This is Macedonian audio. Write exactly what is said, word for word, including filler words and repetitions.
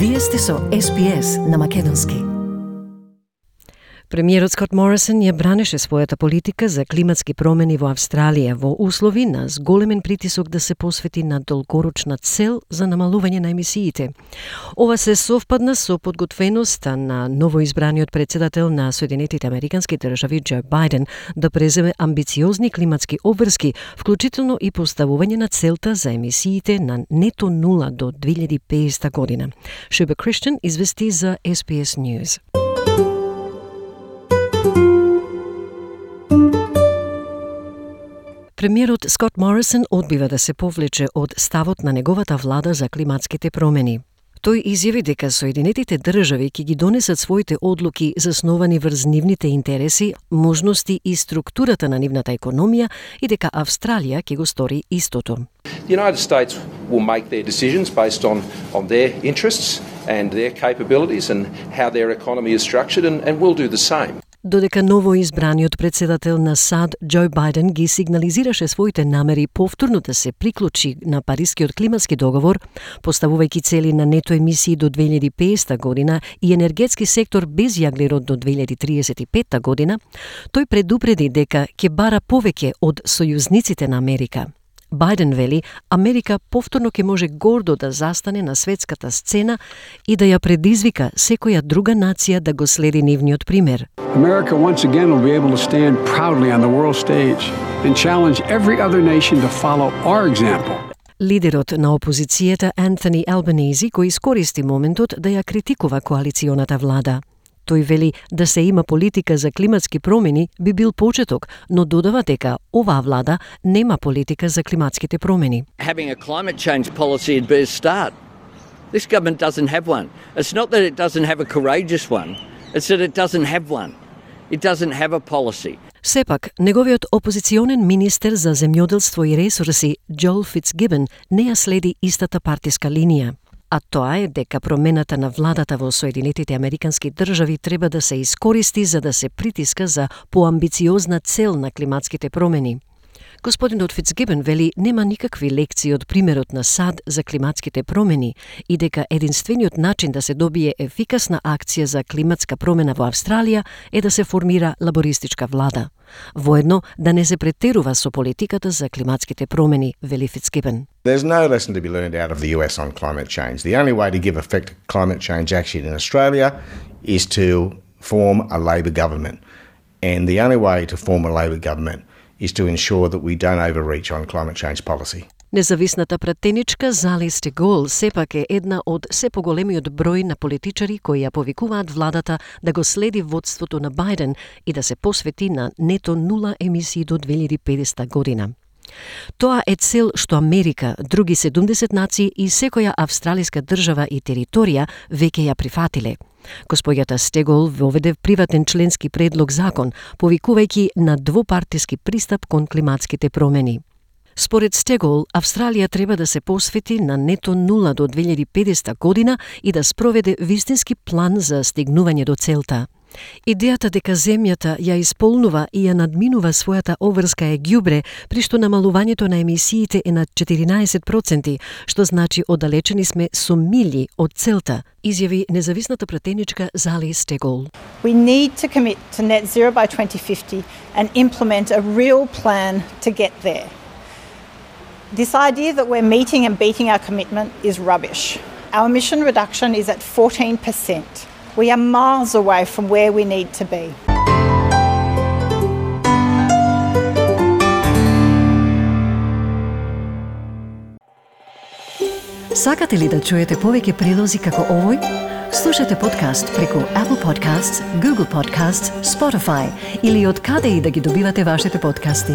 Вие сте со Ес Би Ес на македонски. Премиерот Скот Морисон ја бранеше својата политика за климатски промени во Австралија во услови на зголемен притисок да се посвети на долгорочна цел за намалување на емисиите. Ова се совпадна со подготвеноста на новоизбраниот председател на Соединетите Американски држави Џо Бајден да преземе амбициозни климатски обврски, вклучително и поставување на целта за емисиите на нето нула до две илјади и педесета година. Шуба Криштијан извести за Ес Би Ес News. Премиерот Скот Морисон одбива да се повлече од ставот на неговата влада за климатските промени. Тој изјави дека Соединетите држави ќе ги донесат своите одлуки засновани врз нивните интереси, можности и структурата на нивната економија и дека Австралија ќе го стори истото. The United States will make their decisions based on, on their interests and their capabilities and how their economy is structured and, and we'll do the same. Додека новоизбраниот председател на САД Џо Бајден ги сигнализираше своите намери повторно да се приклучи на Парискиот климатски договор, поставувајќи цели на нето емисии до две илјади и педесета година и енергетски сектор без јаглерод до две илјади триесет и петта година, тој предупреди дека ќе бара повеќе од сојузниците на Америка. Бајден вели, Америка повторно ќе може гордо да застане на светската сцена и да ја предизвика секоја друга нација да го следи нивниот пример. America once again will be able to stand proudly on the world stage and challenge every other nation to follow our example. Лидерот на опозицијата Антони Албанези кој искористи моментот да ја критикува коалиционата влада. Тој вели да се има политика за климатски промени би бил почеток, но додава дека оваа влада нема политика за климатските промени. Having a climate change policy would be a start. This government doesn't have one. It's not that it doesn't have a courageous one, it's that it doesn't have one. It doesn't have a policy. Сепак, неговиот опозиционен министер за земјоделство и ресурси Джоел Фицгибен не ја следи истата партиска линија. А тоа е дека промената на владата во Соединетите Американски држави треба да се искористи за да се притиска за поамбициозна цел на климатските промени. Господинот Фицгибен вели нема никакви лекции од примерот на САД за климатските промени и дека единствениот начин да се добие ефикасна акција за климатска промена во Австралија е да се формира лабористичка влада. Воедно да не се претерува со политиката за климатските промени, вели Фицгибен. There's no lesson to be learned out of the U S on climate change. The only way to give effect to climate change action in Australia is to form a Labor government. And the only way to form a Labor government is to ensure that we don't overreach on climate change policy. Независната пратеничка Зали Стегол сепак е една од се поголемиот број на политичари кои ја повикуваат владата да го следи водството на Бајден и да се посвети на нето нула емисии до две илјади и педесета година. Тоа е цел што Америка, други седумдесет нации и секоја австралиска држава и територија веќе ја прифатиле. Госпоѓата Стегол воведе приватен членски предлог закон, повикувајќи на двопартиски пристап кон климатските промени. Според Стегол, Австралија треба да се посвети на нето нула до две илјади и педесета година и да спроведе вистински план за стигнување до целта. Идејата дека земјата ја исполнува и ја надминува својата обврска е ѓубре, при што намалувањето на емисиите е на четиринаесет проценти, што значи оддалечени сме со милји од целта, изјави независната пратеничка Зали Стегол. We need to commit to net zero by twenty fifty and implement a real plan to get there. This idea that we're meeting and beating our commitment is rubbish. Our emission reduction is at fourteen percent. We are miles away from where we need to be. Сакате ли да чуете повеќе прилози како овој? Слушате подкаст преку Apple Podcasts, Google Podcasts, Spotify или од каде и да ги добивате вашите подкасти.